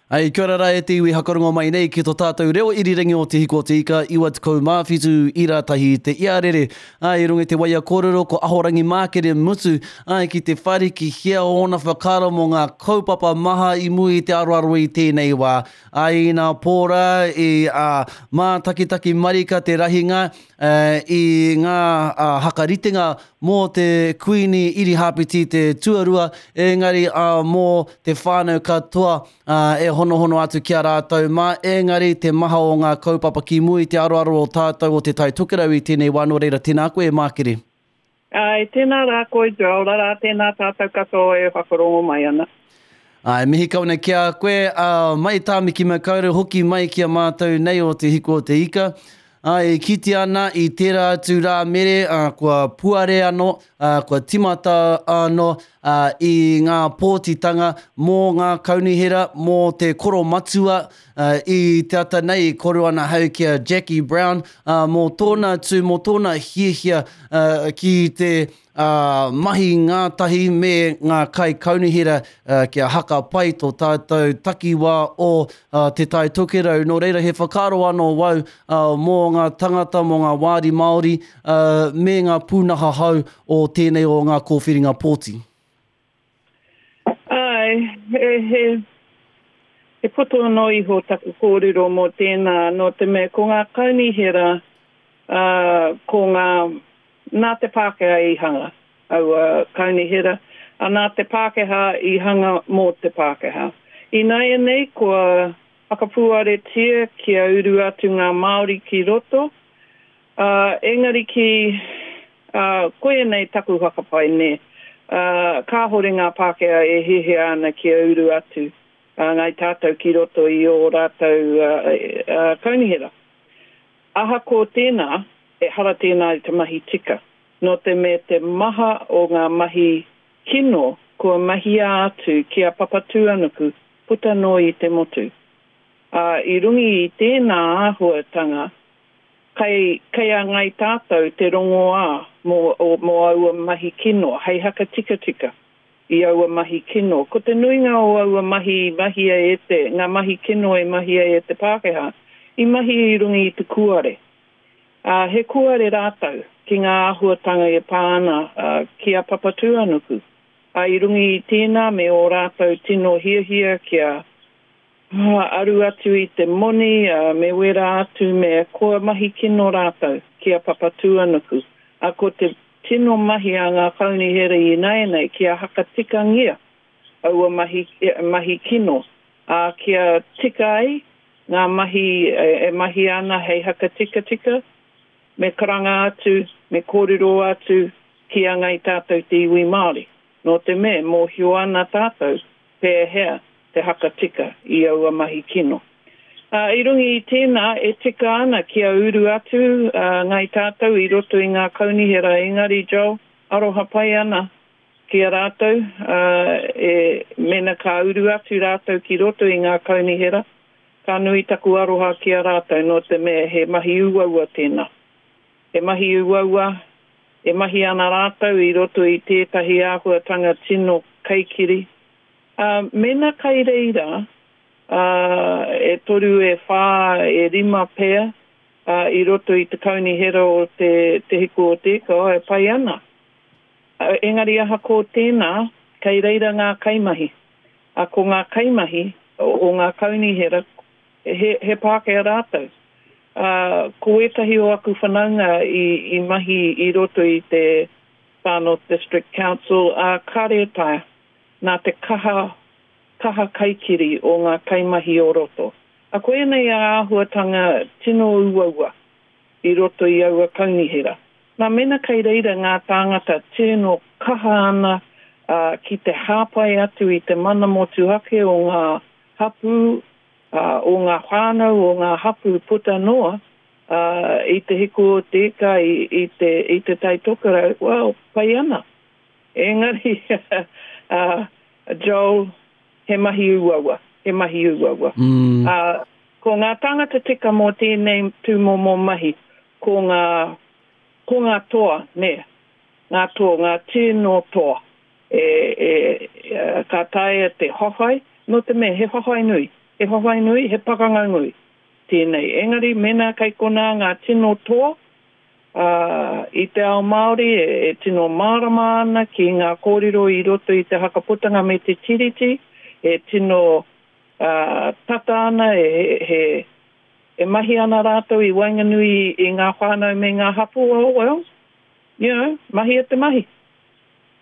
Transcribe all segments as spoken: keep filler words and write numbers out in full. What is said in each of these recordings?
Ai, kia ora rā e te iwi hakarongo mai nei ki tō tātou reo irirangi o Te Hiku o Te Ika, iwa tekau mā whitu ira tahi te iarere. Ai, i runga i te waia kōrero ko Ahorangi Mākere Mutu, ai, ki te wharikihia ōna whakaaro mō ngā kaupapa maha i mua i te aroaro i tēnei wā. Ai, inā pō rā i a mātakitaki marika te rahinga uh, i ngā uh, hakaritenga mō te Kuini Irihāpeti te tuarua, engari uh, mō te whānau katoa uh, e honohono atu ki a rātou mā, engari te maha o ngā kaupapa ki mua i te aroaro o tātou o Te Tai Tokerau i tēnei wā, nō reira, tēnā koe e Mākere. Ai, tēnā rā koe, Joel, rā tēnā tātou katoa e whakarongo mai ana. Ai, mihi kau nei ki a koe, uh, mai Tāmaki Makaurau, hoki mai ki a mātou nei o Te Hiku o Te Ika. Ai, e kite ana i tērā atu rā mere, uh, kua puare anō, uh, kua timata anō uh, i ngā pōtitanga mō ngā kaunihera, mō te koromatua, uh, i te ata nei i kōrero ana hau ki a Jackie Brown, uh, mō tōna tū, mō tōna hiahia uh, ki te uh, mahi ngātahi me ngā kai kaunihera uh, kia haka pai tō tātou takiwā o uh, Te Tai Tokerau. Nō reira he whakaaro anō wau uh, mō ngā tangata, mō ngā wāri Māori uh, me ngā pūnaha hau o tēnei o ngā kōwhiringa pōti. Ai, he, he, he poto anō iho taku kōrero mō tēnā, nō te mea ko ngā kaunihera, uh, ko ngā, nā te Pākehā i hanga, aua kaunihera, a nā te Pākehā i hanga mō te Pākehā. Ināianei kua whakapuaretia kia uru atu ngā Māori ki roto, uh, engari ki, uh, koia nei taku whakapae nē, uh, kāhore ngā Pākehā e hiahia ana kia uru atu uh, ngai tātou ki roto i ō rātou uh, uh, kaunihera. Ahakoa tēnā, ehara tēnā i te mahi tika. Nō te mea te maha o ngā mahi kino kua mahia atu ki a Papatūānuku puta noa i te motu. Uh, i runga i tēnā āhuatanga, kei, kei a ngai tātou te rongoā mō, o, mō aua mahi kino, hei hakatikatika i aua mahi kino. Ko te nuinga o aua mahi mahia e te, ngā mahi kino e mahia e te Pākehā, i mahi i runga i te kuare. Uh, he kuare rātou ki ngā āhuatanga e pā ana uh, ki a Papatūānuku. Uh, i runga i tēnā me ō rātou tino hiahia kia uh, aru atu i te moni, uh, me wera atu me kua mahi kino rātou ki a Papatūānuku. Uh, ko te tino mahi a ngā kaunihera ināianei kia hakatikangia aua mahi, mahi kino. Uh, kia tika ai ngā mahi e, e mahi ana hei hakatikatika, me karanga atu, me kōrero atu ki a ngai tātou te iwi Māori. Nō te mea, mōhio ana tātou pēhea te hakatika i aua mahi kino. Uh, i runga i tēnā, e tika ana kia uru atu uh, ngai tātou i roto i ngā kaunihera, engari Joel, aroha pai ana ki a rātou, uh, e, mena ka uru atu rātou ki roto i ngā kaunihera, ka nui taku aroha ki a rātou, nō te mea he mahi uaua tēnā. He mahi uaua, e mahi ana rātou i roto i tētahi āhuatanga tino kaikiri. Uh, mena kai reira, uh, e toru e whā, e rima pea, uh, i roto i te kaunihera o te, te Hiku o Te Ika, oh, e pai ana. Uh, engari ahakoa tēnā, kei reira ngā kaimahi. Uh, ko ngā kaimahi o, o ngā kaunihera, he, he Pākehā rātou. Uh, ko ētahi o aku whanaunga i, i mahi i roto i te Far North District Council, uh, kāre e taea, nā te kaha, kaha kaikiri o ngā kaimahi o roto. A ko ēnei a āhuatanga tino uaua i roto i aua kaunihera. Nā mena kei reira ngā tāngata tino kaha ana uh, ki te hāpai atu i te mana motuhake o ngā hapū, uh, o ngā whānau, o ngā hapū puta noa, uh, i te Hiku o Te Ika, i, i, te, i te Tai Tokerau, well, pai ana. Engari, uh, Joel, he mahi uaua, he mahi uaua. Mm. Uh, ko ngā tāngata tika mō tēnei tūmomo mahi, ko ngā, ko ngā toa, nē, ngā toa, ngā tino toa, e, e, e, ka taea te hohai, nō te mea, he hohai nui. He whawhai nui, he pakanga nui tēnei. Engari, mēnā kei konā ngā tino toa uh, i te ao Māori e, e tino mārama ana ki ngā kōrero i roto i te hakaputanga me te tiriti, e tino uh, tata ana, e, he, e mahi ana rātou i waenganui i ngā whānau me ngā hapū, oh well, you know, mahi e te mahi.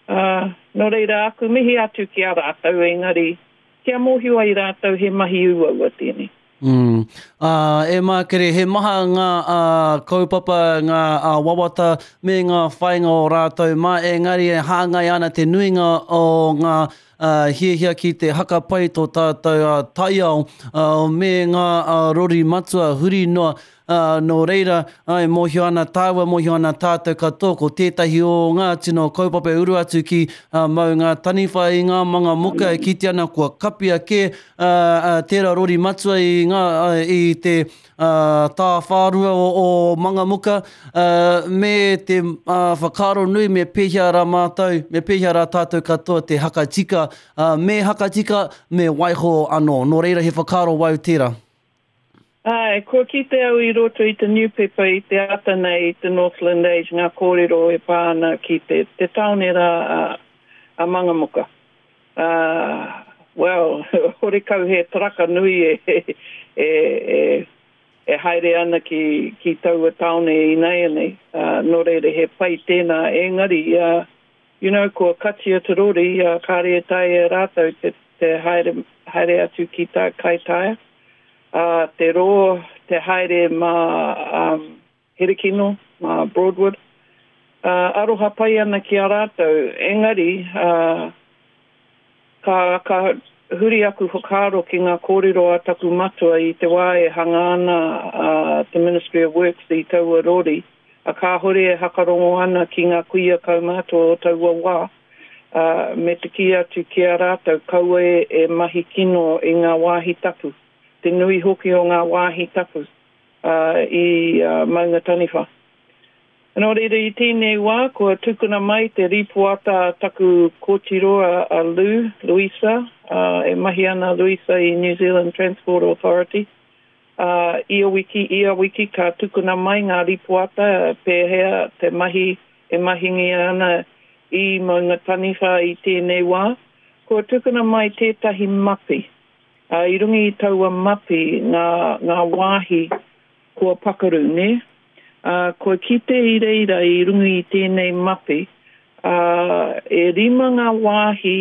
Uh, nō reira aku mihi atu ki a rātou, engari, kia mōhio ai rātou he mahi uaua tēnei. Mm. Uh, e Mākere, he maha ngā uh, kaupapa, ngā uh, wawata me ngā whāinga o rātou mā, engari e hāngai ana te nuinga o ngā uh, hiahia ki te hakapai tō tātou uh, taiao uh, me ngā uh, rori matua huri noa. Uh, nō reira, ai, mōhio ana tāua, mōhio ana tātou katoa, ko tētahi o ngā tino kaupapa e uru atu ki uh, Maungataniwha i ngā Mangamuka e kite ana kua kapia kē uh, uh, tērā rori matua i, ngā, uh, i te uh, tāwhārua o, o Mangamuka, uh, me te uh, whakaaro nui me pēhea rā mātou, me pēhea rā tātou katoa te hakatika, uh, me hakatika, me waiho anō. Nō reira he whakaaro wau tērā. Ai, kua kite au i roto i te newspaper i te ata nei i te Northland Age ngā kōrero e pā ana ki te, te taone rā a, a Mangamuka. Uh, well, horekau he taraka nui e, e, e, e haere ana ki, ki taua taone i nāianei. Uh, nō reira he pai tēnā engari, uh, you know, kua katia te rori, uh, kāre e taea e rātou te, te haere, haere atu ki tā Kaitaia. Uh, te roa, te haere mā um, Herekino, mā Broadwood. Uh, aroha pai ana ki a rātou, engari, uh, ka, ka huri aku whakaaro ki ngā kōrero a taku matua i te wā e hanga ana uh, te Ministry of Works i taua rori, a kāhore e hakarongo ana ki ngā kuia kaumātua o taua wā, uh, me te kī atu ki a rātou kaua e, e mahi kino i ngā wāhi tapu, te nui hoki o ngā wāhi tapu uh, i uh, Maungataniwha. Nō reira i tēnei wā, kua tukuna mai te rīpoata a taku kōtiro a, a Lou, Luisa, uh, e mahi ana Luisa i New Zealand Transport Authority. Uh, ia wiki, ia wiki ka tukuna mai ngā rīpoata pēhea te mahi e mahingia ana i Maungataniwha i tēnei wā. Kua tukuna mai tētahi mapi. Uh, i runga i taua mapi ngā, ngā wāhi kua pakaru, ne? Uh, kua kite i reira i runga i tēnei mapi, uh, e rima ngā wāhi,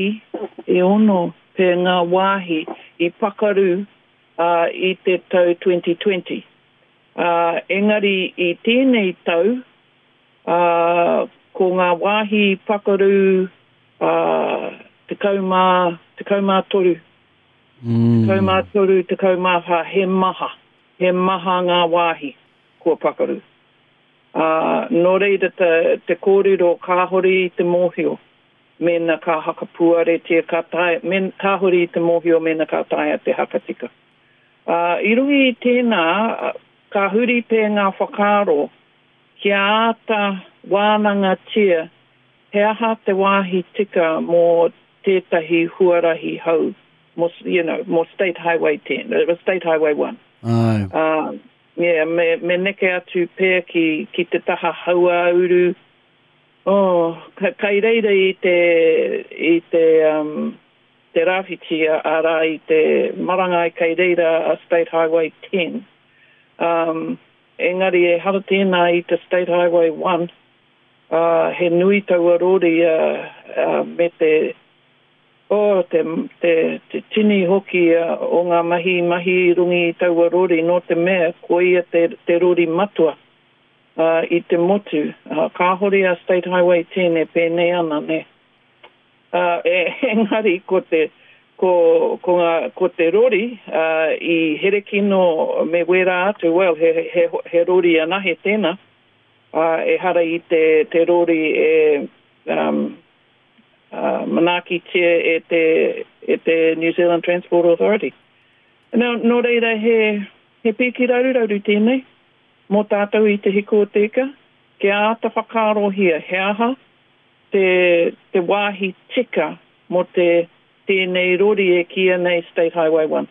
e ono pea ngā wāhi i pakaru uh, i te tau twenty twenty. Uh, engari i tēnei tau, uh, ko ngā wāhi pakaru uh, tekau mā, tekau mā toru. Mm. Tekau mā toru, tekau mā whā, he maha. He maha ngā wāhi kua pakaru. Uh, nō reira te, te kōrero kāhore i te mōhio mēnā ka hakapuaretia ka taea, men, kāhore i te mōhio mēnā ka taea te hakatika. Uh, i runga i tēnā, ka huri pē ngā whakaaro kia āta wānangatia he aha te wāhi tika mō tētahi huarahi hou, mō, you know, mō State Highway ten, uh, State Highway one. Ai. Uh, yeah, me, me neke atu pea ki, ki te taha hauāuru. Oh, ka, kai reira i te, i te, um, te rāwhiti arā i te marangai kai reira a State Highway ten. Um, engari e hara tēnā i te State Highway one, uh, he nui taua rori uh, uh, me te, oh, te, te, te tini hoki uh, o ngā mahi mahi i runga i taua rori nō te mea ko ia te, te rori matua uh, i te motu. Uh, kāhore a State Highway ten e pēnei ana, ne. Uh, e, engari ko te, ko, ko, ngā, ko te rori uh, i Herekino me wērā atu, well, he, he, he rori anahe tēnā, uh, e hara i te, te rori e um, uh, manaakitia e te, e te New Zealand Transport Authority. Nō, nō reira he, he pīki raruraru tēnei, mō tātou i te Hiku o te Ika, kia āta whakaarohia he aha te, te wāhi tika mō te tēnei rori e kīia nei State Highway one.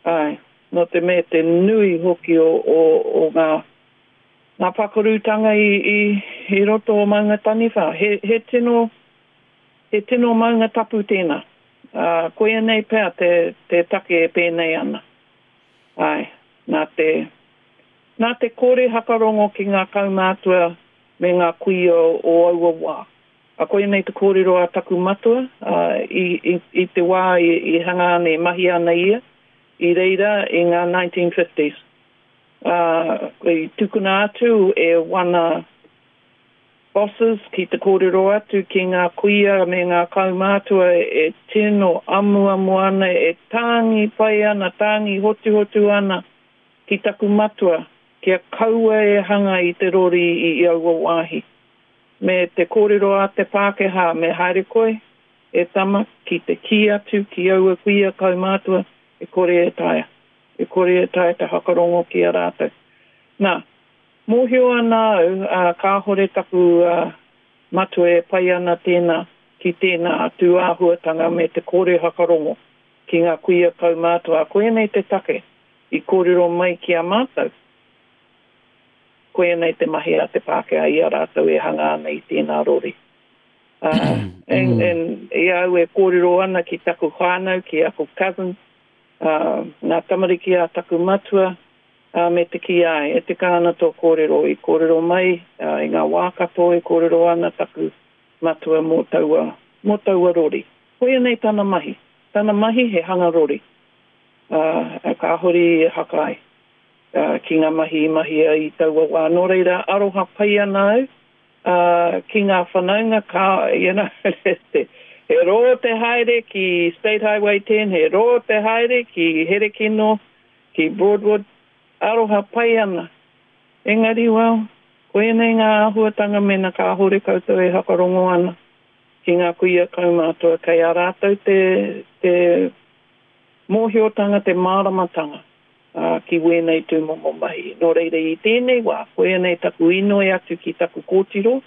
Āe, nō te mea te nui hoki o, o, o ngā, ngā pakarutanga i, i, i roto o Maunga Taniwha. He, he tino, he tino maunga tapu tēnā. Uh, koia nei pea te, te take e pēnei ana. Āe, nā te, nā te kore hakarongo ki ngā kaumātua me ngā kuia o aua wā. A koia nei te kōrero a taku matua, uh, i, i, i te wā i, i hanga ana, i mahi ana ia, i reira i ngā nineteen fifties. Uh, i tukuna atu e wana bosses ki te kōrero atu ki ngā kuia me ngā kaumātua e tino amuamu ana, e tāngi pai ana, tāngi hotuhotu ana ki taku matua, kia kaua e hanga i te rori i, i aua wāhi. Me te kōrero a te Pākehā, me haere koe, e tama, ki te kī atu, ki aua kuia kaumātua, e kore e taea. E kore e taea te hakarongo ki a rātou. Nā, mōhio ana au, uh, kāhore taku uh, matua e pai ana tēnā, ki tēnā atu āhuatanga me te kore hakarongo ki ngā kuia kaumātua. Koia nei te take i kōrero mai ki a mātou. Koia nei te mahi a te Pākehā i a rātou e hanga ana i tēnā rori. Uh, and, and i au e kōrero ana ki taku whānau, ki aku cousin, uh, ngā tamariki a taku matua, uh, me te ki ai, e te kāna tō kōrero, i kōrero mai, uh, i ngā wā katoa e kōrero ana taku matua mō taua, mō taua rori. Koia nei tana mahi. Tana mahi he hanga rori. Uh, kāhore e hakai. Uh, ki ngā mahi i mahia i taua wā. Nō reira, aroha pai ana au, uh, ki ngā whanaunga, ka, you know, he rō te haere ki State Highway ten, he rō te haere ki Herekino, ki Broadwood, aroha pai ana. Engari, well, koia nei ngā āhuatanga mena kāhore koutou e hakarongo ana ki ngā kuia kaumātua, kei a rātou te, te mōhiotanga, te māramatanga. Uh, ki wēnei tūmomo mahi. Nō reira i tēnei wā, koia nei taku inoi atu ki taku kōtiro,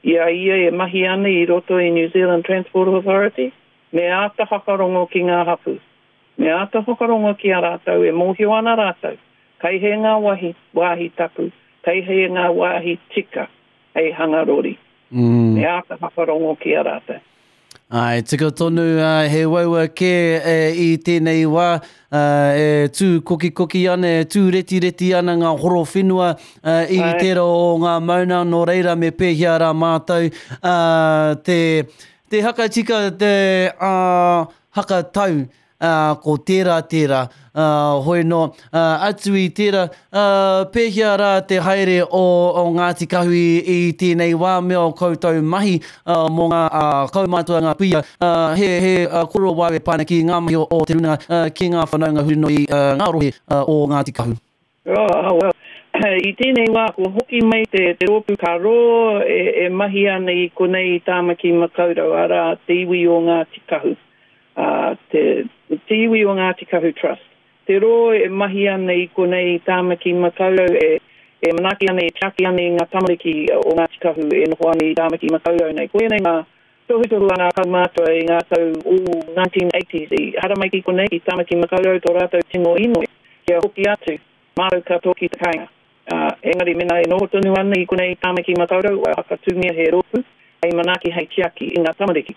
i a ia e mahi ana i roto i New Zealand Transport Authority, me āta whakarongo ki ngā hapū. Me āta whakarongo ki a rātou, e mōhio ana rātou. Kei he ngā wāhi, wāhi tapu, kei he ngā wāhi tika, hei hanga rori. Mm. Me āta whakarongo ki a rātou. Ai, tika tonu, uh, he waua kē e, i tēnei wā, uh, e tū kokikoki ana, e tū retireti ana ngā horo whenua uh, i Ai. tērā o ngā mauna, nō reira me pēhea rā mātou uh, te, te hakatika, te uh, hakatau, uh, ko tērā tērā, uh, hoi no, uh, atu i tērā, uh, pēhea rā te haere o, o Ngāti Kahu i, i tēnei wā me o koutou mahi uh, mō ngā uh, kaumātua ngā kuia, uh, he, he uh, koro wā e pāna ki ngā mahi o, o te runa, uh, ki ngā whanaunga huri noi uh, ngā rohe uh, o Ngāti Kahu. Oh, oh, well. I tēnei wā, kua hoki mai te, te rōpū ka rō e, e mahi ana i konei i Tāmaki Makaurau, arā te iwi o Ngāti Kahu. Uh, te, te iwi o Ngāti Kahu Trust. Te rō e mahi ana i konei i Tāmaki Makaurau e, e manaaki ana, e tiaki ana i ngā tamariki o Ngāti Kahu e noho ana i Tāmaki Makaurau nei. Koia nei ngā tohutohu a ngā kaumātua i ngā tau o nineteen eighties i haramai ki konei i Tāmaki Makaurau tō rātou tino inoi kia hoki atu mātou katoa ki te kāinga. Uh, engari mena e noho tonu ana i konei i Tāmaki Makaurau, ua hakatūngia he rōpū hei manaaki hei tiaki i ngā tamariki.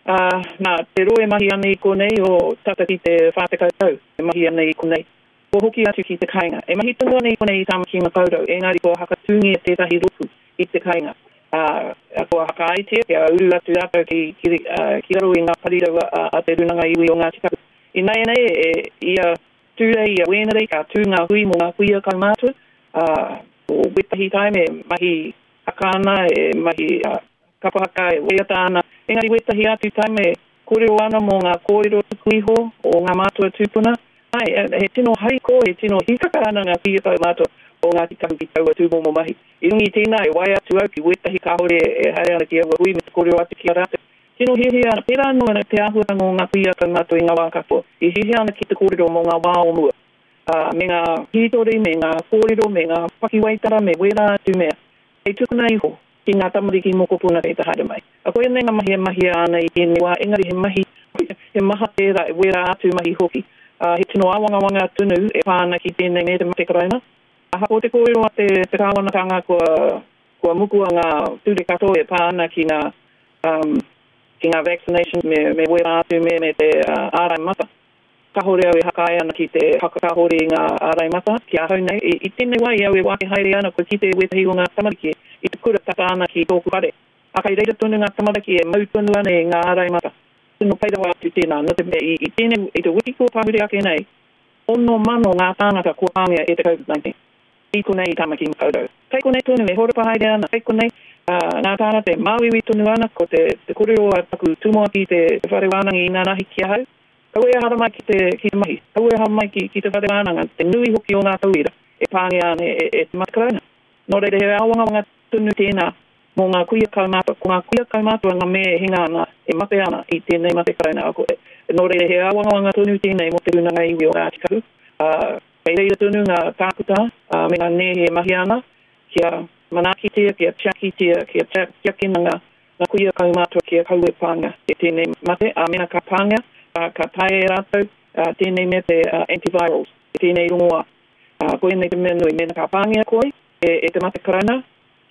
Uh, nā, te rō e mahi ana i konei o tata ki te whā tekau tau e mahi ana i konei. Kua hoki atu ki te kāinga. E mahi tonu ana i konei i Tāmaki Makaurau, engari kua hakatūngia tētahi rōpū i te kāinga. Uh, kua hakaaitia kia uru atu rātou ki, ki, uh, ki raro i ngā parirau a, a te Runanga Iwi o Ngāti Kahu. Ināianei, e, ia Tūrei, ia Wēnerei, ka tū ngā hui mō ngā kuia kaumātua. Uh, o wetahi taime e mahi haka ana, e mahi uh, kapa haka, e waiata ana. Engari wetahi atu taime kōrero ana mō ngā kōrero tuku iho o ngā mātua tūpuna. Ai, he tino hariko, he tino hikaka ana ngā kuia kaumātua o Ngāti Kahu ki taua tūmomo mahi. I runga i tēnā e waia atu au ki wetahi kāhore e haere ana ki aua hui me te kōrero atu ki a rātou. Tino hiahia ana, pērā anō ana te āhuatanga o ngā kuia kaumātua i ngā wā katoa. I hiahia ana ki te kōrero mō ngā wā o mua. Uh, me ngā hītori, me ngā kōrero, me ngā pakiwaitara, me wērā atu mea. Hei tukuna iho ki ngā tamariki mokopuna kei te haere mai. A koia nei ngā mahi e mahia ana i tēnei wā, engari he mahi, he maha tērā, e wērā atu mahi hoki. Uh, he tino āwangawanga tonu e pā ana ki tēnei me te mate karauna. Ahakoa te kōrero a te, te kāwanatanga kua, kua mukua ngā ture katoa e pā ana ki ngā, um, ki ngā vaccination me, me wera atu me, me te uh, ārai mata. Kahore au e hakai ana ki te hakakahore i ngā ārai mata ki ahau nei. I, i tēnei wā i au e wāke haere ana kua kite wētahi o ngā tamariki i te kura tata ana ki tōku whare. A kai reira tonu ngā tamariki e mau tonu ana i ngā ārai mata. Tino pai rawa atu tēnā, nō te mea i, i tēnei, i te wiki kua pahure ake nei, ono mano ngā tāngata kua pāngia e te COVID nineteen. I konei i Tāmaki Makaurau. Kei konei tonu e horapa haere ana, kei konei uh, ngā tāngata e māuiui tonu ana, ko te, te kōrero a taku tumuaki te, te whare wānanga i nanahi ki ahau. Kaua e haramai ki te, ki te mahi, kaua e haramai ki, ki te whare wānanga, te nui hoki o ngā tauira e pāngia ana e, e, e te mate karauna. Nō reira he āwangawanga tonu tēnā mō ngā kuia kaumātua, ko ngā kuia kaumātua ngā mea e hinga ana, e mate ana i tēnei mate karauna. Ko, nō reira he āwangawanga tonu tēnei mō te rūnanga iwi o Ngāti Kahu. Uh, kei reira tonu ngā tākuta uh, me ngā nēhe e mahi ana kia manaakitia, kia tiakitia, kia tiakina ngā, ngā kuia kaumātua kia kaua e pāngia e tēnei mate. A mena ka pāngia, uh, ka taea e rātou uh, tēnei mea te uh, antivirals, tēnei rongoā. Uh, ko ēnei te mea nui, mena ka pāngia koe e, e te mate karauna,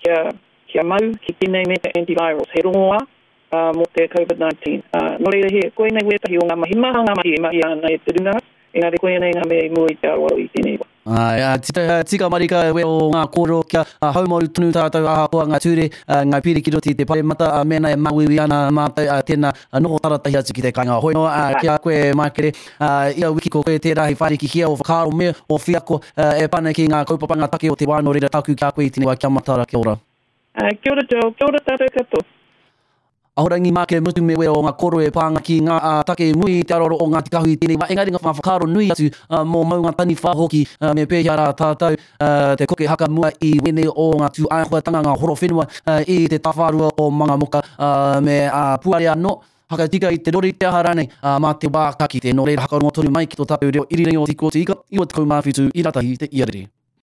kia kia mau ki tēnei me te antivirals, he rongoā uh, mō te COVID nineteen. Uh, nō reira he, koinei wētahi o ngā mahi, maha ngā mahi e mahi ana e te rūnanga, engari koinei ngā mea i mua i te aroaro i tēnei wā. Ai, tika, tika marika we o ngā kōrero kia haumaru tonu tātou ahakoa ngā ture, ngā piri ki roto i te paremata, mēnā e māuiui ana mātou, tēnā noho taratahi atu ki te kāinga. Hoi noa, ki a koe Mākere, ia wiki ko koe tērā hei whārikihia o whakaaro me o whiako e pana ki ngā kaupapa ngā take o te wā, nō reira tāku ki a koe i tēnei wā, kia matara, kia ora. Uh, kia ora Joel, kia ora tātou katoa. Ahorangi Mākere Mutu me wera o ngā koro e pānga ki ngā uh, take mui i te aroaro o Ngāti Kahu i tēnei wā. Engari ngā whakaaro nui atu uh, mō maunga taniwha hoki uh, me pēhea rā tātou uh, te koke haka mua i wēnei o ngā tūāhuatanga ngā horo whenua uh, i te tawhārua o Mangamuka uh, me uh, puare anō. Hakatika i te rori te aha rānei uh, mā te wā ka kite. Nō reira hakarongo tonu mai ki tō tātou reo irirangi o Te Hiko o Te Ika, iwa tekau mā whitu i ratahi te iarere.